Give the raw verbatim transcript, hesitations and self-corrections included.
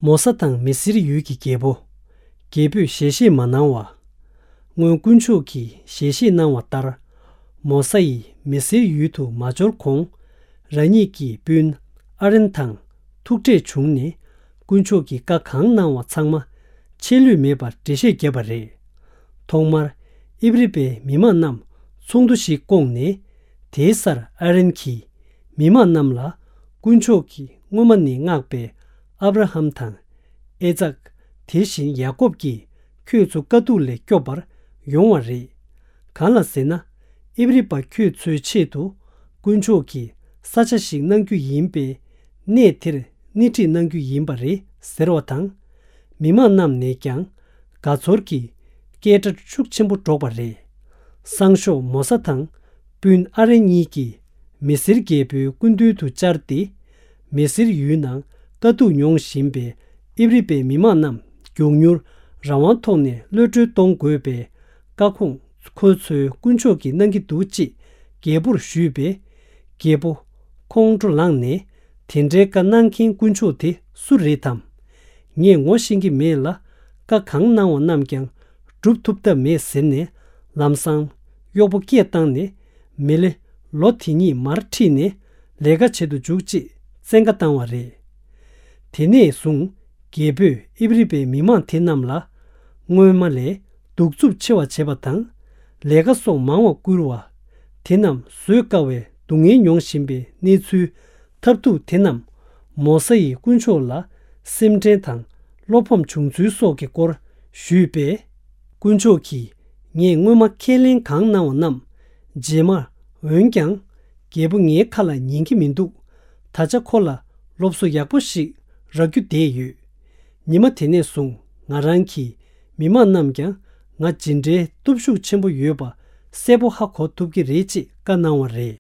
མོ་ས་དང་མི་སིར་ཡུལ་གྱི་རྒྱལ་པོ། རྒྱལ་པོས་ཞལ་བཞེས་མ་གནང་བ། སྔོན་དཀོན་མཆོག་གིས་ཞལ་བཞེས་གནང་བ་ལྟར། མོ་ས་ཡིས་མི་སིར་ཡུལ་དུ་མ་འབྱོར་གོང་། རང་ཉིད་ཀྱི་སྤུན་ཨ་རོན་དང་ཐུག་འཕྲད་བྱུང་ནས། དཀོན་མཆོག་གིས་བཀའ་གང་གནང་བ་ཚང་མ་ཆད་ལུས་མེད་པར་འགྲེལ་བཤད་བརྒྱབ་པ་རེད། ཐོག་མར་ཨིབ་རི་པའི་མི་མང་རྣམས་ཚོགས་འདུ་ཞིག་བསྐོངས་ནས། དེའི་སར་ཨ་རོན་གྱིས་མི་མང་རྣམས་ལ། དཀོན་མཆོག་གིས་སྔོན་མ་ནས་མངགས་པའི་ཨབ་ར་ཧམ་དང་། ཨེ་ཙག་དེ་བཞིན་ཡ་ཀོབ་ཀྱིས་ཁྱོད་ཚོ་དཀའ་སྡུག་ལས་སྐྱོབ་པར་ཡོང་བ་རེད། གང་ལ་ཟེར་ན། ཨིབ་རི་པ་ཁྱོད་ཚོའི་ཆེད་དུ་དཀོན་མཆོག་གིས་ས་ཆ་ཞིག་གནང་རྒྱུ་ཡིན་པས། གནས་དེར་སྣེ་ཁྲིད་གནང་རྒྱུ་ཡིན་པ་རེད་ཟེར་བ་དང་། མི་མང་རྣམས་ནས་ཀྱང་དགའ་ཚོར་གྱི་སྐད་སྒྲ་ཤུགས་ཆེན་པོ་སྒྲོག་པ་རེད། སང་ཞོགས་མོ་ས་དང་སྤུན་ཨ་རོན་གཉིས་ཀྱིས་མི་སིར་རྒྱལ་པོའི་སྐུ་མདུན་དུ་བཅར་ཏེ། མི་སིར་ཡུལ་ནང་དཀའ་སྡུག་མྱོང་བཞིན་པའི་ཨིབ་རི་པའི་མི་མང་རྣམས་མགྱོགས་མྱུར་རང་དབང་ཐོག་ནས་གློད་གྲོལ་གཏོང་དགོས་པའི་བཀའ་ཁོངས་ཁོ་ཚོས་དཀོན་མཆོག་གིས་གནང་གི་འདུག་ཅེས་རྒྱལ་པོར་ཞུས་པས། རྒྱལ་པོ་ཁོང་ཁྲོ་ལངས་ནས། དེ་འདྲའི་བཀའ་གནང་མཁན་དཀོན་མཆོག་དེ་སུ་རེད་དམ། ངས་ངོ་ཤེས་ཀྱི་མེད་ལ། བཀའ་གང་གནང་བ་རྣམས་ཀྱང་སྒྲུབ་ཐུབ་ཐབས་མེད་ཟེར་ནས། ལམ་སང་གཡོག་པོ་སྐད་བཏང་ནས། མི་ལེ་ལོ་དེ་ཉིད་མར་ཁྲིད་ནས་ལས་ཀ་བྱེད་དུ་འཇུག་ཅེས་བཙན་བཀའ་བཏང་བ་རེད། དེ་ནས་བཟུང་རྒྱལ་པོས་ཨིབ་རི་པའི་མི་མང་དེ་རྣམས་ལ། སྔོན་མ་ལས་གདུག་རྩུབ་ཆེ་བ་བྱེད་པ་དང་། ལས་ཀ་སོགས་མང་བ་བསྐུལ་བ། དེ་རྣམས་བཟོད་དཀའ་བའི་སྡུག་བསྔལ་མྱོང་བཞིན་པའི་གནས་ཚུལ་ཐབས་སྡུག་དེ་རྣམས། མོ་ས་ཡིས་དཀོན་མཆོག་ལ་སེམས་ཁྲལ་དང་བློ་ཕམ་བྱུང་ཚུལ་སོགས་ཀྱི་སྐོར་ཞུས་པས། དཀོན་མཆོག་གིས་ངས་སྔོན་མ་ཁས་ལེན་གང་གནང་བ་རྣམས་རྗེས་མར། འོན་ཀྱང་། རྒྱལ་པོ་ངའི་ཁ་ལ་ཉན་གྱི་མི་འདུག་ད་ཆ་ཁོ་ལ་སློབ་གསོ་ཡག་པོ་ཞིག་རག་རྒྱུ་བསྡད་ཡོད། ཉི་མ་དེ་ནས་བཟུང་ང་རང་གིས་མི་མང་རྣམས་ཀྱང་ང་ཇི་འདྲའི་སྟོབས་ཤུགས་ཆེན་པོ་ཡོད་པ་གསལ་པོ་ཧ་གོ་ཐུབ་ཀྱི་རེད་ཅེས་བཀའ་གནང་བ་རེད།